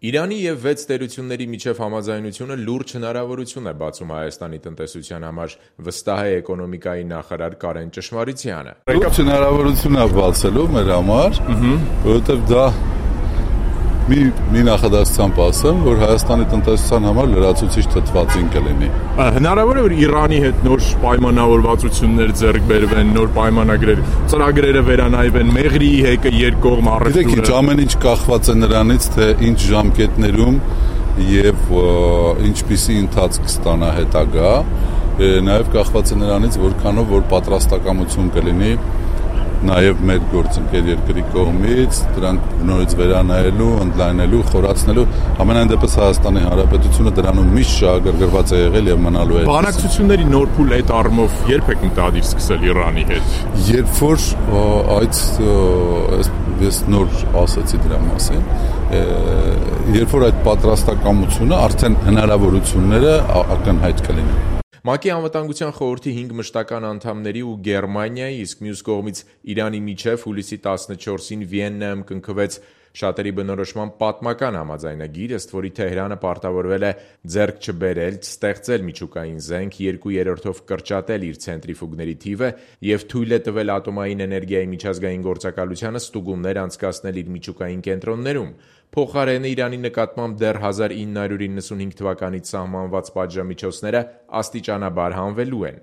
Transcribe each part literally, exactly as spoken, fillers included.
Իրանի և վեց տերությունների միջև համաձայնությունը լուրջ հնարավորություն է բացում Հայաստանի տնտեսության համար, վստահ է էկոնոմիկայի նախարար Կարեն Ճշմարիցյանը: Լուրջ հնարավորություն է բացելու մեր համար, որովհետև դա մի, մի նախադասությամբ ասեմ, որ Հայաստանի տնտեսության համար լրացուցիչ թթվածին կլինի: Հնարավոր է, որ Իրանի հետ նոր պայմանավորվածություններ ձեռք բերվեն, նոր պայմանագրեր, ծրագրերը վերանայվեն, Մեղրիի հեկը երկկողմ առևտուրը: Գիտեք ինչ, ամեն ինչ կախված է նրանից, թե ինչ ժամկետներում և ինչպիսի ընթացք կստանա հետագա, նաև կախված է նրանից, որքանով որ պատրաստակամություն կլինի նաև մեր գործընկեր երկրի կողմից, դրանք նորից վերանայելու, ընդլայնելու, խորացնելու, համենայն դեպս Հայաստանի Հանրապետությունը դրանում միշտ շահագրգռված է եղել և մնալու է: Բանակցությունների նոր փուլ այդ առումով երբ եք մտադիր սկսել Իրանի հետ: Երբ որ այդ, ես նոր ասացի դրա մասին, երբ որ այդ պատրաստակամությունը, արդեն հնարավորությունները ակնհայտ կլինեն: ՄԱԿ-ի Անվտանգության խորհրդի հինգ մշտական անդամների ու Գերմանիայի, իսկ մյուս կողմից Իրանի միջև հուլիսի տասնչորսին Վիեննայում կնքվեց շատերի բնորոշմամբ պատմական համաձայնագիր, ըստ որի Թեհրանը պարտավորվել է ձեռք չբերել, չստեղծել միջուկային զենք, երկու երրորդով կրճատել իր ցենտրիֆուգների թիվը և թույլ է տվել ատոմային էներգիայի միջազգային գործակալությանը ստուգումներ անցկացնել իր միջուկային կենտրոններում: Փոխարենը Իրանի նկատմամբ դեռ հազար ինը հարյուր իննսունհինգ թվականից սահմանված պատժամիջոցները աստիճանաբար հանվելու են: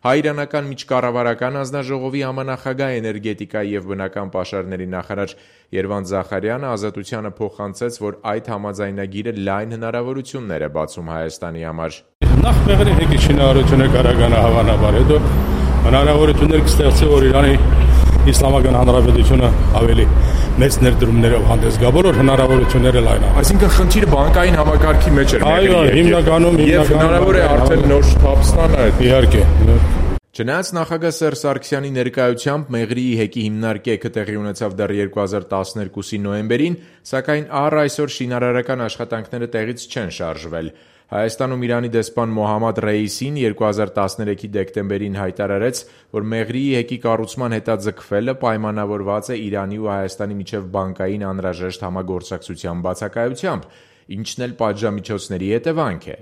Հայ-իրանական միջկառավարական հանձնաժողովի համանախագահ էներգետիկայի և բնական պաշարների նախարար Երվանդ Զախարյանը «Ազատությանը» փոխանցեց, որ այդ համաձայնագիրը լայն հնարավորություններ է բացում Հայաստանի համար: Նախ Մեղրի հեկի շինարարությունը կարողանա հավանաբար, հետո հնարավորություններ կստեղծի, որ Իրանի Իսլամական Հանրապետությունը ավելի մեծ ներդրումներով հանդես գա, բոլոր հնարավորությունները լայնանան: Այսինքն խնդիրը բանկային համակարգի մեջ էր Այո, հիմնականում, և հնարավոր է արդեն նոր շտապ ստանա: Իհարկե: Չնայած նախագահ Սերժ Սարգսյանի ներկայությամբ Մեղրիի հեկի հիմնարկեքը տեղի ունեցավ դեռ երկու հազար տասներկուսի նոյեմբերին, սակայն առ այսօր շինարարական աշխատանքները տեղից չեն շարժվել: Հայաստանում Իրանի դեսպան Մոհամմադ Ռեյիսին երկու հազար տասներեքի դեկտեմբերին հայտարարեց, որ Մեղրիի հեկի կառուցման հետաձգվելը պայմանավորված է Իրանի ու Հայաստանի միջև բանկային անհրաժեշտ համագործակցության բացակայությամբ, ինչն էլ պատժամիջոցների հետևանք է: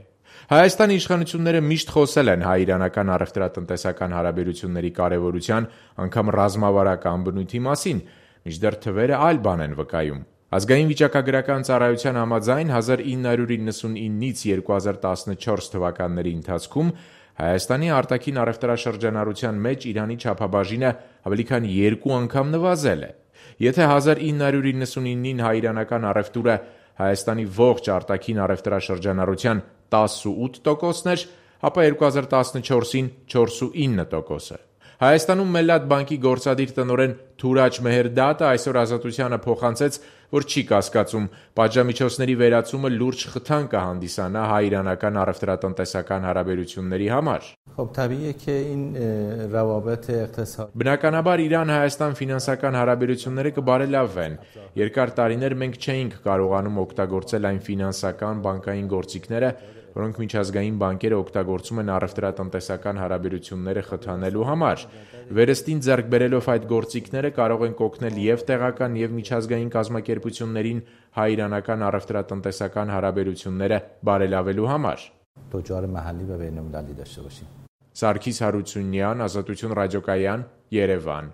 Հայաստանի իշխանությունները միշտ խոսել են հայ-իրանական առևտրատնտեսական հարաբերությունների կարևորության, անգամ ռազմավարական բնույթի մասին, մինչդեռ թվերը այլ բան են վկայում: Ազգային վիճակագրական ծառայության համաձայն հազար ինը հարյուր իննսունինից երկու հազար տասնչորս թվականների ընթացքում Հայաստանի արտաքին առևտրաշրջանառության մեջ Իրանի չափաբաժինը ավելի քան երկու անգամ նվազել է: Եթե հազար ինը հարյուր իննսունինին հայ-իրանական առևտուրը Հայաստանի ողջ արտաքին առևտրաշրջանառության տասնութ տոկոսն էր, ապա երկու հազար տասնչորսին չորսունինը տոկոսը: Հայաստանում Մելլաթ բանկի գործադիր տնօրեն Թուրաջ Մեհերդատը այսօր «Ազատությանը» փոխանցեց, որ չի կասկածում, պատժամիջոցների վերացումը լուրջ խթան կհանդիսանա հայ-իրանական առևտրատնտեսական հարաբերությունների համար: Բնականաբար Իրան-Հայաստան ֆինանսական հարաբերությունները կբարելավվեն: Երկար տարիներ մենք չէինք կարողանում օգտագործել այն ֆինանսական, բանկային գործիքները, որոնք միջազգային բանկերը օգտագործում են առևտրատնտեսական հարաբերությունները խթանելու համար: Վերստին ձեռք բերելով այդ գործիքները կարող ենք օգնել և տեղական և միջազգային կազմակերպություններին հայ-իրանական առևտրատնտեսական հարաբերությունները բարելավելու համար: Սարգիս Հարությունյան, Ազատություն ռադիոկայան, Երևան: